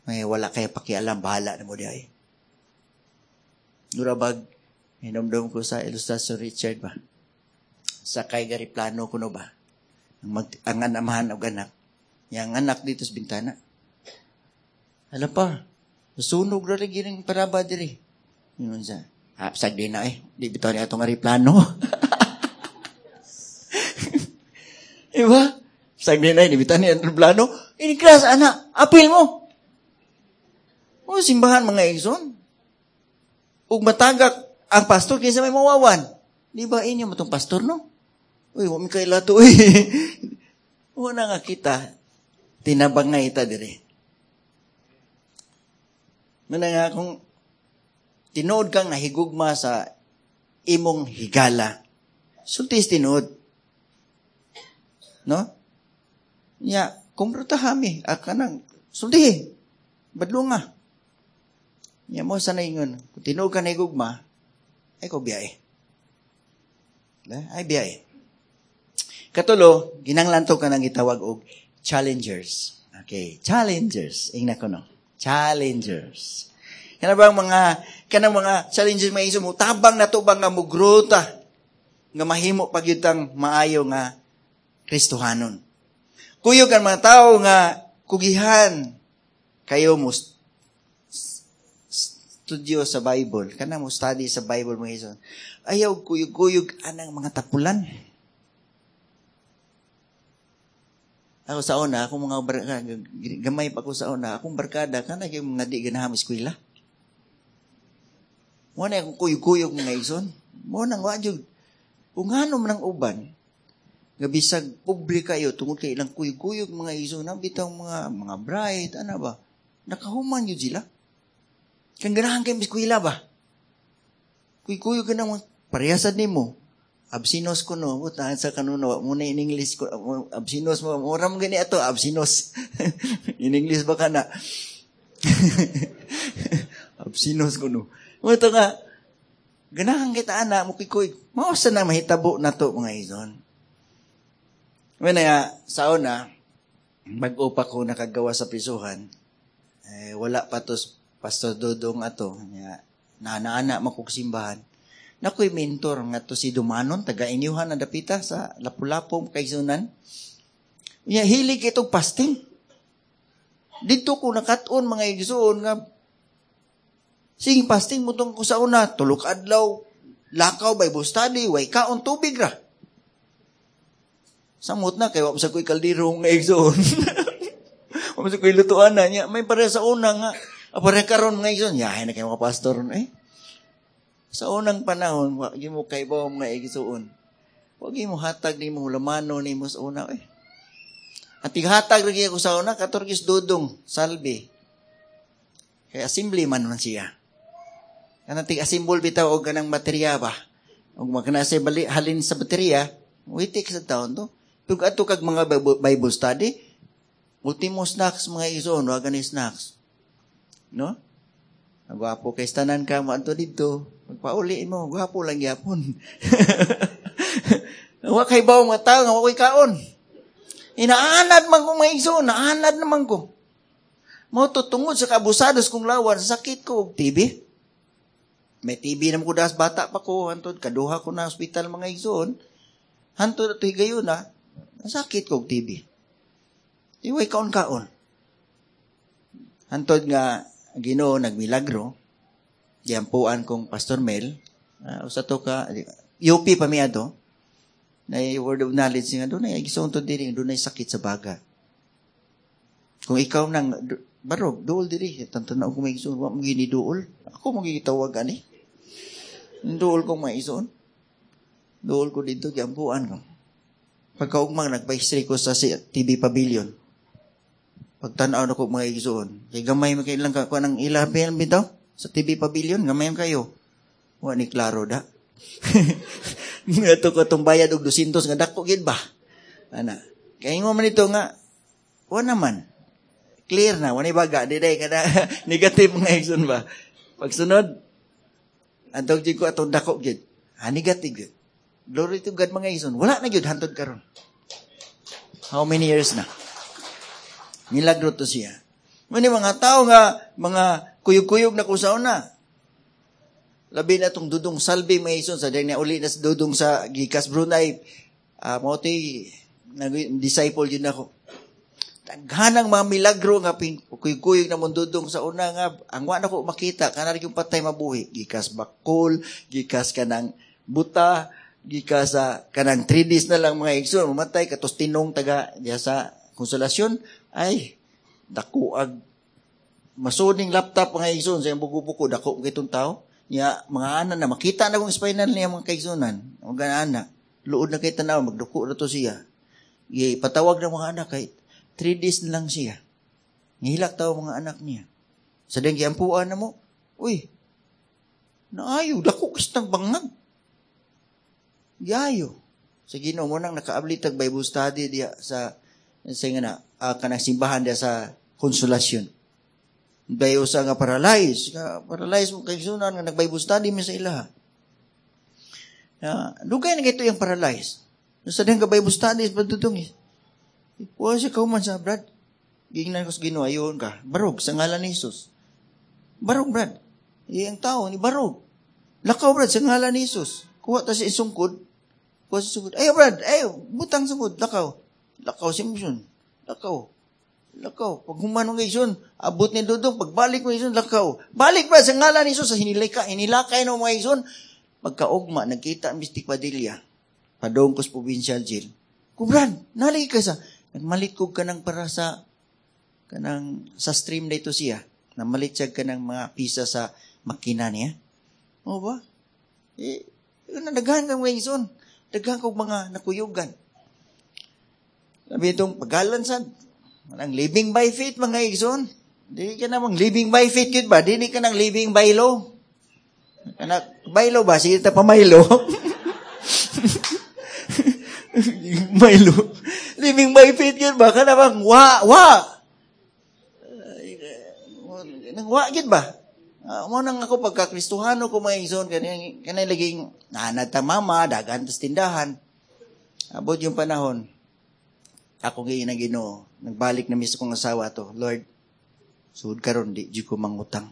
may wala kay pakialam, bahala na mo di ay. Durabag, hinumdum ko sa ilustrasyon Richard ba? Sa kay gariplano kuno ba? Ang, mag, ang anamahan og anak. Yang anak dito sa bintana. Alam pa, sunog na rin gining paraba diri. Yun siya. Ah, sagdi na eh. Di bitaw niya itong ariplano. Diba? Sagdi na eh. Di bitaw niya itong plano. Iniklas, anak. Apil mo. O, simbahan mga igsoon. Ug matagak ang pastor kaysa may mawawan. Di ba inyo matong pastor, no? Uy, wa mi kaila to eh. Una nga kita, tinabangay ita diri. Muna nga kung tinuod kang nahigugma sa imong higala, sultis tinuod. No? Nya, kumpruta hami, akanang, sulti, badlunga. Nya mo sa naingon, kung tinuod ka nahigugma, ay ko biyay. Ay biyay. Katulo, ginanglanto ka nang gitawag og challengers. Okay, challengers. Ingna ko no. Challengers. Kana bang mga kanang mga challengers may iso mo tabang na to bang nga mugrota nga mahimo pag yun tang maayo nga Kristohanon. Kuyog ang mga tao nga kugihan kayo mo studio sa Bible, kana mo study sa Bible mga iso. Ayaw kuyog-kuyog anang mga tapulan. Ako sa una, akong mga barkada, gamay pa ko sa una, akong barkada, kana yung mga di ganaham eskwela. Muna akong kuyog-kuyog mga ison. Muna ang wajog. Kung ano man ang uban, nga bisag pobre kayo, tungod kay ilang kuyog-kuyog mga ison, bitaw mga, mga bright, ano ba, nakahuman yun sila. Kang ganahan kayo eskwela ba? Kuyog-kuyog ka ng parehasad nimo. Absinos ko no, butahan sa kanuno, muna in English ko, absinos mo, mura mo gani ato, absinos. In English ba ka na? Absinos ko no. Ito nga, ganahan kita ana, mukikoy, mausa na mahitabo na to mga ison. Wala nga, sa una, mag-upa ko nakagawa sa prisuhan, eh, wala pa to, Pastor Dodong ato, naana-ana makuksimbahan. Nakoy mentor nga to si Dumanon, taga inyuhan na dapita sa Lapu-Lapu, Kaisunan. Unya, hilig itong fasting. Dito ko nakat-on mga igsoon nga sige fasting mo tong ko sa una, tulok adlaw, lakaw, Bible study, way kaon tubig ra. Samot na, kay wa sa ko'y kaldero nga igsoon. Wa sa ko'y lutuan na niya. May pare sa una nga, pare karon mga igsoon, yahay na kayo mga pastor eh. Sa unang panahon, wag mo kaibaw mga igsoon. Wag mo hatag nimo lamano nimo sa una eh. Ang tighatag lagi ako sa una katorgis Dudong Salve. Kay assembly man man siya. Kanang tig-assemble bitaw og kanang baterya ba. Og magkanase bali halin sa baterya, witik sa taon to. Pero adto kag mga Bible study, ultimo snacks mga igsoon, wa gani snacks. No? Gwapo kay tanan ka mo adto didto. Magpauli mo, gwapo lang gyapon. Wa kay bawo mga tao nga wa koy kaon. Inaanad man ko mga igsoon, naanad naman ko. Mao to tungod sa kaabusados kong lawan, sakit ko og T B. May T B naman ko das bata pa ko, hantod kaduha ko na ospital, mga igsoon. Hantod ato higayon na, nasakit ko og T B. Iway kaon-kaon. Hantod nga Ginoo nagmilagro, giampuan kong Pastor Mel, uh, usa to ka U P pa mi ato, na word of knowledge nga dunay igsoon to diri, dunay sakit sa baga. Kung ikaw nang barog, duol diri, tantanaw ko may igsoon, wa mo gini duol. Ako mo gitawag ani. Duol kong may igsoon. Duol ko dito, giampuan ko. Pagkaugmang nagpa-x-ray ko sa T B Pavilion. Pagtanaw na ko mga igsoon. Kay gamay man kay lang ka kuan ang ilabi bitaw sa T B Pavilion, gamay man kayo. Wa ni klaro da. Nga to ko tong bayad og dosyentos nga dako gid ba? Ana. Kay ingon man ito nga wa naman. Clear na, wa ni baga, di day kada negative mga igsoon ba. Pagsunod, antog jud ko atong dako gid. Ha, negative gid. Glory to God, mga igsoon. Wala na gyud hantod karon. How many years na? Milagro to siya. Mani mga tao nga mga kuyog-kuyog na kung sa una. Labi na itong Dudong Salvi, mga igsoon, sa niya uli na sa Dudong sa Gikas Brunei. Uh, mao disciple yun ako. Daghanang mga milagro nga pin kuyog-kuyog na mong Dudong sa una nga ang wa na ko makita kanang yung patay mabuhi, gikas bakol, gikas kanang buta, gikas sa kanang three days na lang, mga igsoon, mamatay katos tinong taga diya sa Konsolasyon, ay dako ag masuning laptop, mga igsoon, sa iyang buko-buko, dako kitong tao niya, mga ana na makita na kung spinal niya, mga kaigsunan, mga ana luod na kay tanaw, magduko na to siya. Patawag ng mga anak kay three days na lang siya. Ngihilak tao mga anak niya. Sa diyang giampuan na mo, uy, naayo, dako kistang bangag. Yayo. Sa Ginoo mo nang nakaabli tag Bible study diya sa sa nga na uh, kanang simbahan diya sa Konsolasyon. Dayo sa nga paralyze, nga paralyze mo kay sunan nga nag Bible study mi sa ilaha. Uh, dugay na kito yung paralyze. Sa diyang ka Bible study padudong eh. Wa siya kauman sa Brad. Gingnan ko sa Ginoo, ayon ka. Barog sa ngalan ni Jesus. Barog, Brad. Iyang tao ni barog. Lakaw, Brad, sa ngalan ni Jesus. Kuha ta sa isungkod. Kuha sa sungkod. Ay, Brad, ay, butang sungkod. Lakaw. Lakaw si Mission. Lakaw. Lakaw. Pag human ng Ison, abot ni Dudong, pagbalik mo Ison, lakaw. Balik, Brad, sa ngalan ni Jesus, sa hinilaka, hinilakay no mga Ison. Pagkaugma, nagkita ang Mystic Padilla. Padong ko sa provincial jail. Kubran, nalagi ka sa, nagmalit ko kanang para sa, kanang, sa stream na ito siya. Namalit siya kanang mga pisa sa makina niya. O ba? Eh, daghan kang mga ison. Daghan kong mga nakuyugan. Sabi itong pagalan sa, ang living by faith, mga igsoon. Di ka namang living by faith yun ba? Di ka nang living by law. Anak, by law ba? Sige ta pa Milo. Milo. Living by faith yun ba? Kana bang wa, wa. Nang wa gid ba? Uh, mo nang ako pagka-Kristohano ko, mga igsoon, kanang kanang laging nanad ta mama, dagan tas tindahan. Abot yung panahon. Ako gayon na Ginoo, nagbalik na mis kong asawa to. Lord, sud karon di jud ko mangutang.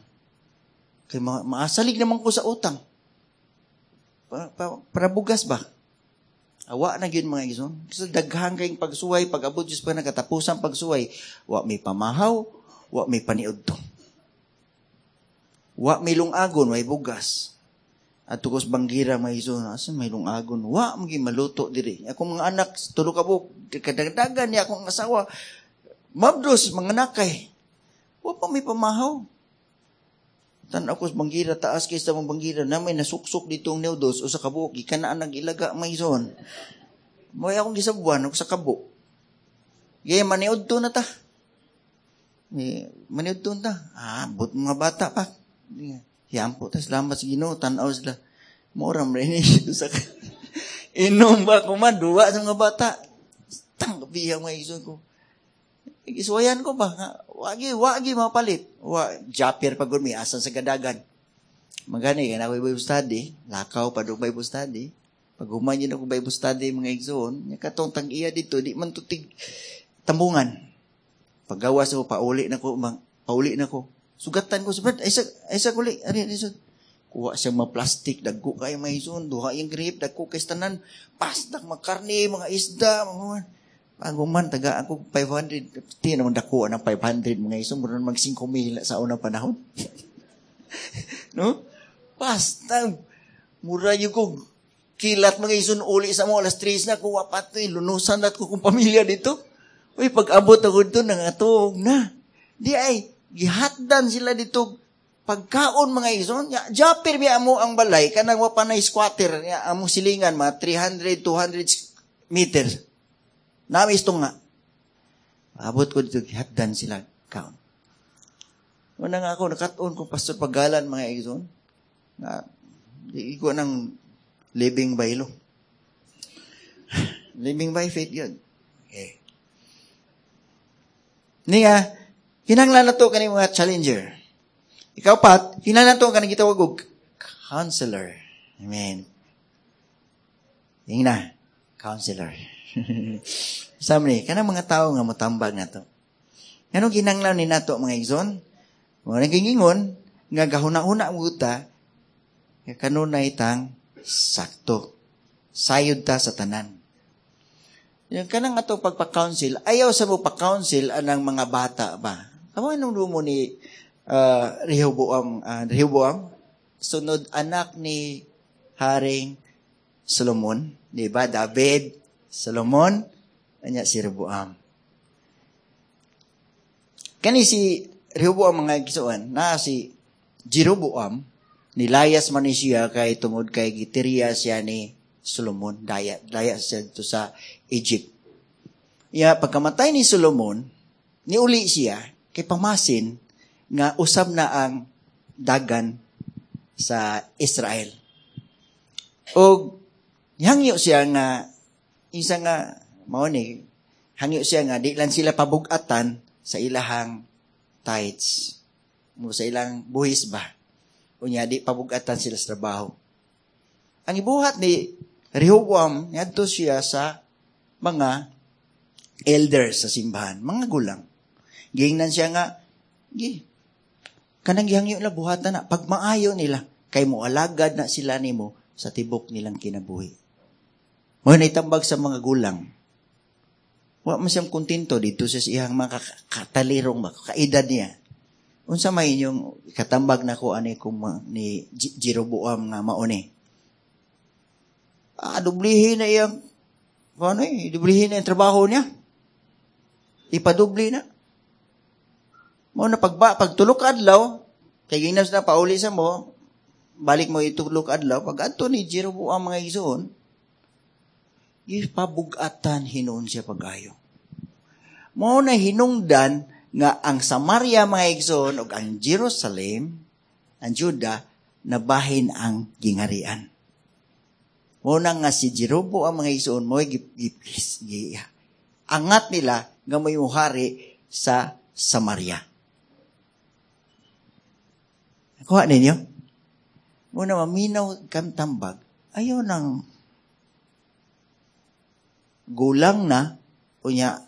Kay ma maasalig naman ko sa utang. Pa, pa, para bugas ba? Awa na gyud, mga igsoon. Kasi daghan kayong pagsuway, pag abot Diyos pa nakatapusan pagsuway, wa may pamahaw, wa may paniudto. Wa may lungagon, may bugas. At tukos banggira may igsoon, asa may lungagon? Wa magi maluto diri. Akong mga anak, tulo ka buok, kadagdagan niya akong asawa. Mabdos, mga nakay. Wa pa may pamahaw. Tan-aw ko sa banggira, taas kaysa mong banggira, na may nasuksok ditong noodles o sa kabuok, gikanaan nag ilaga may ison. Mo akong gisabuan og sa kabo. Gaya maniud to na ta. Eh, maniud to na ta. Ah, but mga bata pa. Yampo ta, salamat sa Ginoo, tan-aw sila. Mora man ni sa inom ba ko man duwa sa mga bata. Tang biyang may ison ko. Isuwayan ko ba? Wagi, wagi mapalit. Wa, japir pag gurmi, asan sa gadagan. Magani, kana ako Bible study, lakaw pa do Bible study. Pag human yun ako Bible study, mga igsoon, nya katong tag-iya dito, di man tutig tambungan. Paggawas ako, pauli na ko, mang, Pauli na ko. Sugatan ko. Brad, ay sa, ay sa kuli. Ari, ari, sa. Kuha siya mga plastic, dagko kayo mga ison, duha yung grape, dagko kay tanan, pastak, mga karne, mga isda, mga bago man, taga ako five hundred, di naman dako ang five hundred mga ison, mura mag five mil sa unang panahon. No? Basta, mura yun ko, kilat mga ison, uli sa mo, alas tres na, kuha pa ito, lunusan nat ko kung pamilya dito. Uy, pag-abot ako dito, nangatog na. Di ay, gihatdan sila dito, pagkaon mga ison, ya, japir biya mo ang balay, kanang wa pa na squatter, ya, among silingan, mga three hundred, two hundred meters. Nami isto nga. Abot ko dito, gihatdan sila kaon. Una nga ako, nakatuon ko Pastor Pagalan mga ison, na di ko ng living by law. Living by faith yun. Okay. Niya, kinanglan na to kani mga challenger. Ikaw pat, kinanglan to kanang gitawag og counselor. Amen. Ingna, counselor. Sabi ni, kanang mga tao nga motambag nato. Nganong kinanglan ni nato mga igsoon? Mga nagingingon, nga gahuna-huna ang guta, nga kanunay tang sakto. Sayod ta sa tanan. Yung kanang ato pagpa-counsel, ayaw sa mo pa-counsel anang mga bata ba? Amo anong dumo ni uh, Rehoboam, uh, Rehoboam? Sunod anak ni Haring Solomon, di ba? David, Solomon, anya si Rehoboam. Kani si Rehoboam mga igsoon, na si Jeroboam, nilayas man ni siya kay tungod kay gitirya siya ni Solomon, daya, daya siya dito sa Egypt. Ya, pagkamatay ni Solomon, niuli siya kay pamasin nga usab na ang dagan sa Israel. Og hangyo siya nga isa nga mao ni hangyo siya nga di lang sila pabugatan sa ilahang tithes mo sa ilang buhis ba. Unya di pabugatan sila sa trabaho. Ang ibuhat ni Rehoboam, niadto siya sa mga elders sa simbahan, mga gulang. Giingnan siya nga, gi, kanang gihangyo nila, buhatan na, pagmaayo nila, kay mo alagad na sila nimo sa tibok nilang kinabuhi. Mo naitambag sa mga gulang. Wa man siyang kontento dito sa iyang mga katalirong, mga kaedad niya. Unsa may inyong katambag na ko ani kung ni Jeroboam nga mauni? Ah, dublihin na iyang, ano eh, dublihin na yung trabaho niya. Ipadubli na. Mo na pagba, pagtulok adlaw, kay ginas na pauli sa mo, balik mo itulok adlaw, pag adto ni Jeroboam mga igsoon, ipabugatan hinuon siya pag-ayo. Mo na hinungdan nga ang Samaria mga igsoon ug ang Jerusalem, ang Juda, nabahin ang gingarian. Muna nga si Jeroboam mga igsoon mo angat nila nga may muhari sa Samaria. Kuha ninyo? Muna maminaw kang tambag, ayaw nang gulang na, unya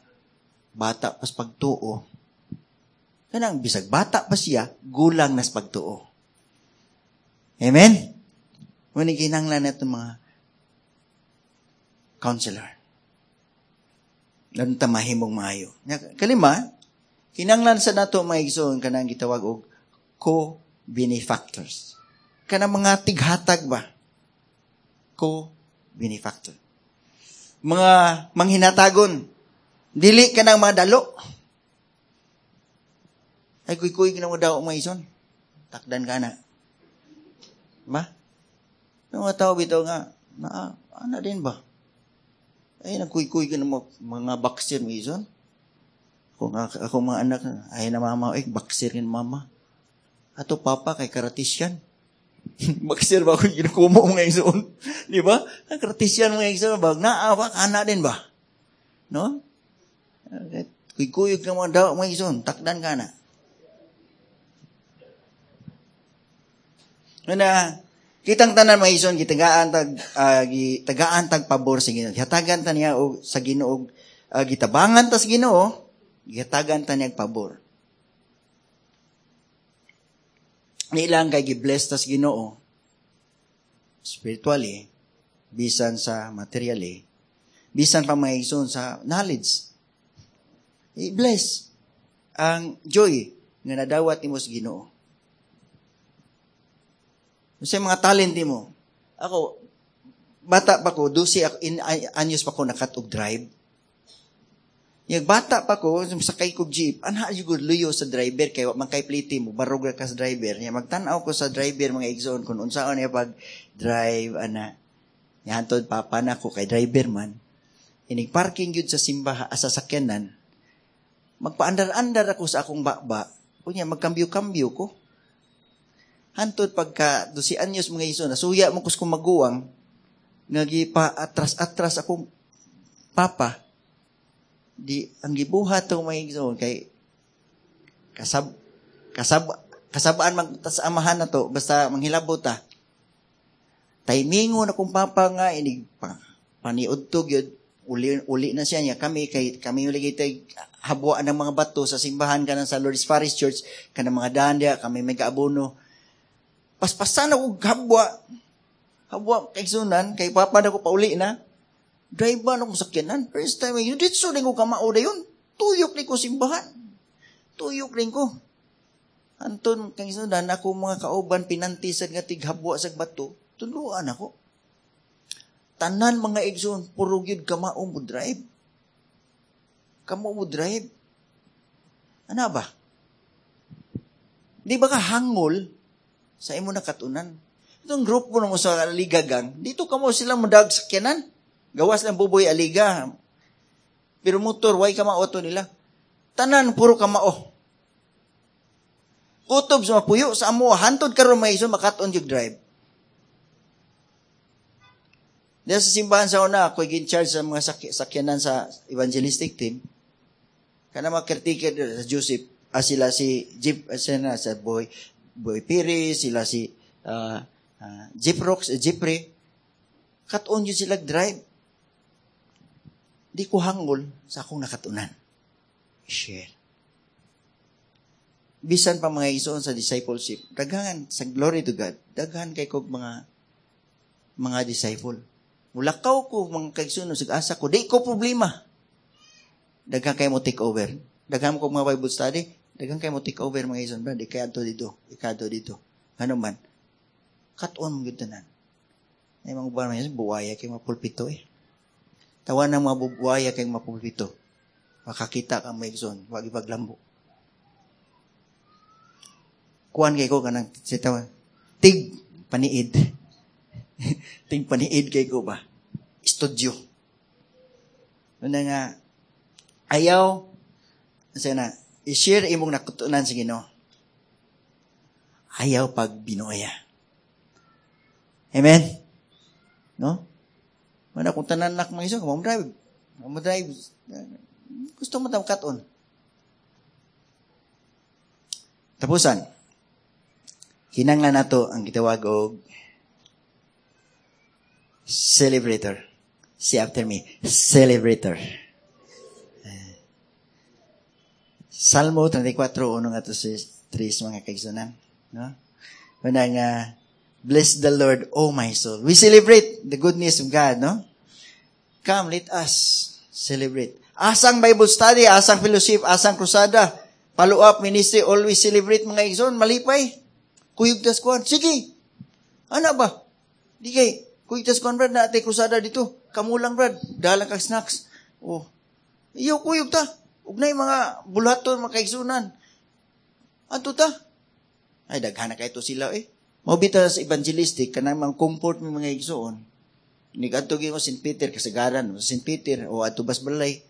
bata pas pagtuo. Kanang bisag bata pa siya, gulang nas pagtuo. Amen? Muna kinahanglan nato mga counselor. Ganun ta mahimong maayo. Kalima, kinanglan sa nato mga igsoon kanang gitawag og co-benefactors. Kanang mga tighatag ba? Co-benefactor. Mga manghinatagon. Dili kanang mga dalo. Ay, kuy-kuy kinang mga daw mga igsoon. Takdan ka na. Ba? Mga tao bitaw nga, na, ana din ba? Ay, nagkuy-kuy ka ng mga boxer, mga ison. Kung ako, ako mga anak, ay na mama, ay, boxer rin mama. Ato papa, kay karatisyan. Boxer ba ako ginukumo mga ison? Di ba? Karatisyan mga ison, bag naawa, kana din ba? No? Kuy-kuy ka mga daw, mga ison, takdan ka na. Na, kitang tanan mga ison, gitagaan tag uh, gitagaan tag pabor sa Ginoo. Gihatagan ta niya og sa Ginoo, uh, gitabangan ta sa Ginoo, gihatagan ta niya pabor. Nilang kay gi-bless tas Ginoo spiritually, bisan sa materially, bisan pa mga igsoon sa knowledge. I-bless ang joy nga nadawat nimo sa Ginoo. Sa mga talent nimo. Ako, bata pa ko, dose ako, in, anyos pa ko nakat-og drive. Yung bata pa ko, sakay ko jeep, anha jud luyo sa driver kay wa man kay pliti mo, barog ka sa driver. Nya magtan-aw ko sa driver mga igsoon kung unsaon niya pag drive ana. Nya hantod papa na ko kay driver man. Inig parking gyud sa simbaha sa sakyanan. Magpaandar-andar ako sa akong baba. Unya magkambyo-kambyo ko. Hantod pagka dose anyos mga igsoon, nasuya mo kus maguwang nga gipa atras-atras akong papa. Di ang gibuhat tong mga igsoon kay kasab kasab kasabaan man ta sa amahan na to basta manghilabot ta. Timingo na kong papa nga inig pa, paniudto gyud uli uli na siya niya kami kay kami uli kitay habwaan ng mga bato sa simbahan kanang sa Lourdes Parish Church kanang mga daan diya kami may gaabono. Paspasan ako habwa. Habwa kay sunan kay papa na ko pauli na. Drive ba na kong sakyanan? First time, yun, ditso rin ko kamao na yun. Tuyok rin ko simbahan. Tuyok rin ko. Anton, kang sunan, ako mga kauban, pinantisan nga tighabwa sa bato, tuluan ako. Tanan mga igsoon, puro gyud kamao mo drive. Kamao mo drive. Ano ba? Di ba ka hangol sa imo nakatunan? Itong grupo na mo sa Aligagang, dito kamo silang madag sakyanan. Gawas lang buboy aliga. Pero motor, way kamao to nila. Tanan, puro kamao. Kutob sa mapuyo, sa amo, hantod karon may iso, makaton yung drive. Diyan sa simbahan sa una, ako'y gin-charge sa mga sak- sakyanan sa evangelistic team. Kana mga caretaker sa Joseph, ah, sila si Jeep, ah, sila sa Boy, Boy Piri, sila si uh, uh, Jeep Rocks, uh, Jeepre. Katon yun sila drive. Di ko hangol sa akong nakatunan. Share. Bisan pa mga isoon sa discipleship, daghan sa glory to God, daghan kay kog mga mga disciple. Mulakaw ko mga kaigsoon sa asa ko, di ko problema. Daghan kay mo take over. Daghan ko mga Bible study, daghan kay mo take over mga isoon, brad, di kay adto dito, ikadto dito. Ngano man? Kat-on mo gyud tanan. Ay mga uban man buwaya kay mga pulpito eh. Tawa ng mga buwaya kay mga pulpito. Makakita ka mga igsoon, wag ipaglambo. Kuan kay ko kanang sitaw. Tig paniid. Tig paniid kay ko ba? Studio. Una nga ayaw sana i-share imong nakutunan sa Ginoo. Ayaw pag binuaya. Amen. No? Wala kung tanan nak mga iso, mo drive. Mo drive. Gusto mo tawag katon. Tapusan. Kinanglan nato ang gitawag og celebrator. Say after me, celebrator. Salmo thirty-four, uno nga to sa tres mga kaigsunan. No? Una nga, bless the Lord, O my soul. We celebrate the goodness of God, no? Come, let us celebrate. Asang Bible study, asang fellowship, asang krusada, follow-up ministry, always celebrate mga igsoon, malipay. Kuyog tas kuan. Sige. Ano ba? Di kay, kuyog tas kuan, brad, naatay krusada dito. Kamulang, brad. Dalang kag snacks. Oh. Iyo, kuyog ta. Ugnay mga bulaton, mga kaigsunan. Anto ta? Ay, daghan na kayo sila eh. Maubita sa evangelistic, kanang mga comfort ng mga igsoon. Nigadto gyud mo Saint Peter, kasagaran, Saint Peter, o adto Bas Balay.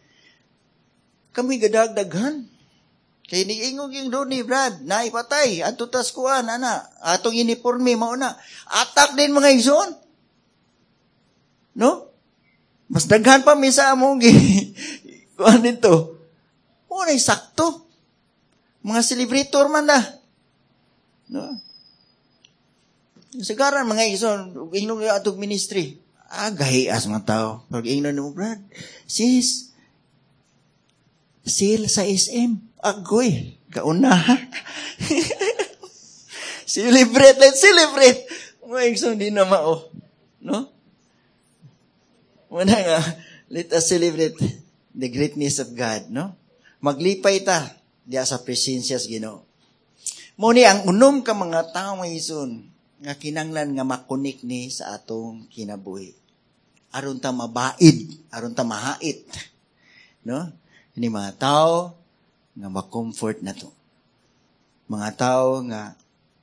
Kami gadagdaghan. Kay niingog yung doon ni Brad, naipatay, adto tas kuan, ana, atong uniforme, mao na. Atak din mga igsoon. No? Mas daghan pa misa among kuan dito. Unay sakto. Mga celebrator man na. No? Sagaran mga igsoon, ingnon nga atong ministry. Ah, gahias mga tao. Pag ingnon mo, Brad, sis, sale sa S M. Agoy, kauna. Celebrate, let's celebrate. Mga igsoon, di na mao. No? Muna nga, let us celebrate the greatness of God, no? Maglipay ta diya sa presensya sa Ginoo. Mo ni ang unom ka mga tao, mga igsoon, nga kinanglan nga makunik ni sa atong kinabuhi. Aron ta mabaid, aron ta mahait. No? Ini mga tao nga ma-comfort na to. Mga tao nga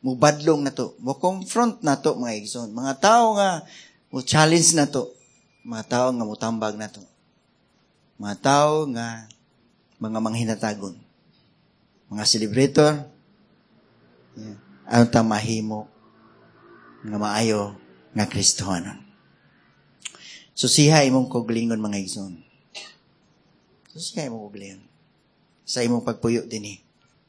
mubadlong na to, mo-confront na to, mga igsoon. Mga tao nga mo-challenge na to. Mga tao nga mutambag na to. Mga tao nga mga manghinatagon. Mga celebrator, yeah. Aron ta mahimo nga maayo nga Kristohanon. Susiha imong kaugalingon, mga igsoon. Susiha imong kaugalingon. Sa imong pagpuyo dinhi,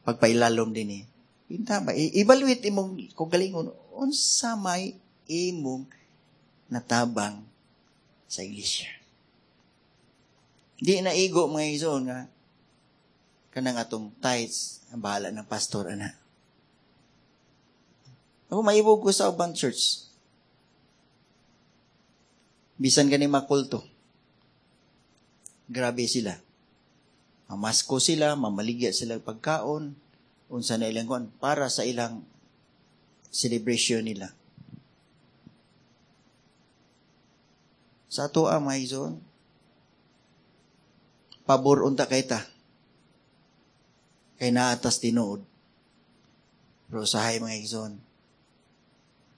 pagpailalom dinhi. Pinta ba? I- evaluate imong kaugalingon unsa may imong natabang sa iglesia. Di na igo, mga igsoon, nga kanang atong tithes ang bahala ng pastor ana. Ako, maibog ko sa ubang church. Bisan gani makulto. Grabe sila. Mamasko sila, mamaligya sila pagkaon, unsa na ilang kuan para sa ilang celebration nila. Sa ato ang mga igsoon, pabor unta kay ta. Kay naatas tinuod. Pero usahay, mga igsoon,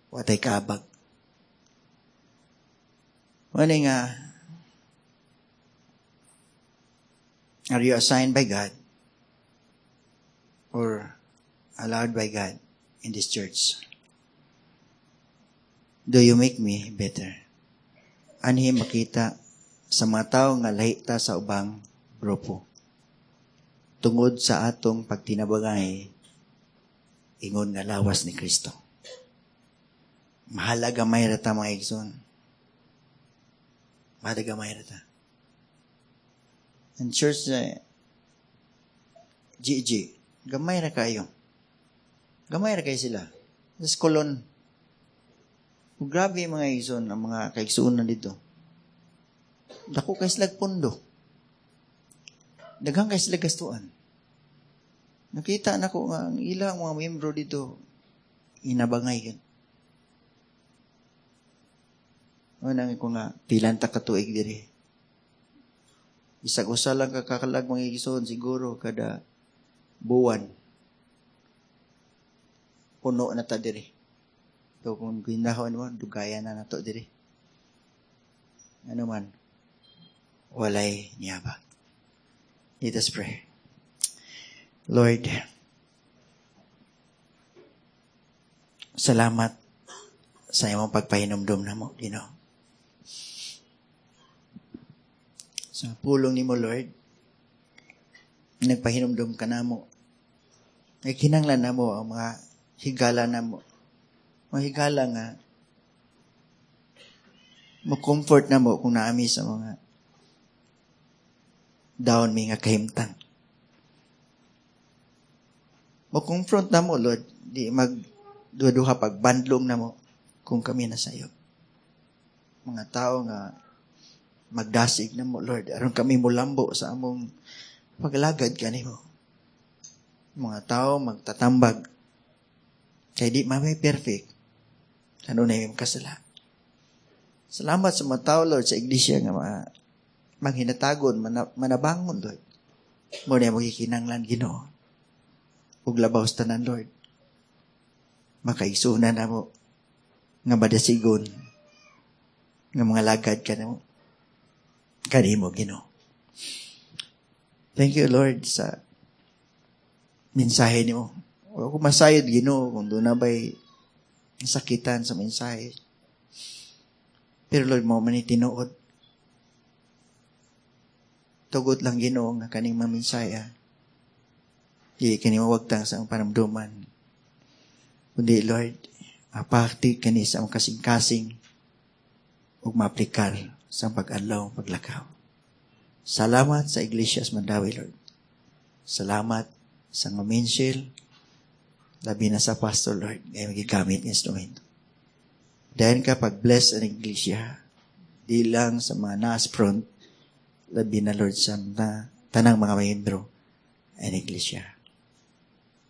watay kabag. Wala nga, are you assigned by God or allowed by God in this church? Do you make me better? Anhi makita sa mga tao nga lahi ta sa ubang grupo. Tungod sa atong pagtinabangay, ingon nga lawas ni Kristo. Mahalaga may rata, mga igsoon. Mahalaga may rata. Ang church sa uh, G G, gamay ra kayo. Gamay ra kayo sila. Sa Colon. Grabe, mga igsoon, ang mga kaigsuonan dito. Dako kay sila pundo. Daghang kay sila gastuan. Nakita na ko nga ang ilang mga membro dito inabangay yun. Ano ko nga, pilan ta katuig diri. Isag usa lang kakakalag, mga igsoon, siguro kada buwan. Puno na ta diri. So kung ginahon mo, dugaya na nato diri. Ano man, walay niyabag. Let us pray. Lord, salamat sa imong pagpahinumdum namo, Ginoo. Sa pulong nimo, Lord, nagpahinumdum ka namo. Ay kinanglan namo ang mga higala namo. Mga higala nga mo comfort namo kung naami sa mga down mi nga kahimtang. Mo-confront namo, Lord, di mag duha-duha pagbandlong namo kung kami na sayo. Mga tao nga magdasig namo, Lord, aron kami mulambo sa among paglagad kanimo. Mga tao magtatambag kay di man perfect. Ano na yung kasala. Salamat sa mga tao, Lord, sa iglesia nga mga manghinatagon, manabangon, Lord. Mo na magikinanglan, Ginoo. Ug labaw sa tanan, Lord, makaigsuonan namo nga madasigon nga mga lagad ka namo. Kanimo, Ginoo. Thank you, Lord, sa mensahe nimo. Wala ko masayod, Ginoo, kung doon na ba'y sakitan sa mensahe. Pero Lord, mo man tinuod. Tugot lang, Ginoo, nga kaning mga mensahe. Di kani mawagtang sa ang panamduman. Kundi, Lord, mapakti kani sa among kasing-kasing ug maaplikar sa pag-adlaw, paglakaw. Salamat sa Iglesia sa Mandaue, Lord. Salamat sa mga Minshil. Labi na sa pastor, Lord, nga gigamit instrumento. Dahil ka pag-bless ang iglesia, di lang sa mga nas front, labi na, Lord, sa na, tanang mga membro ang iglesia.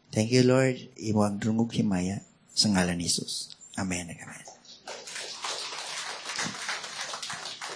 Thank you, Lord. Imo ang dungog himaya sa ngalan ni Jesus. Amen. Amen.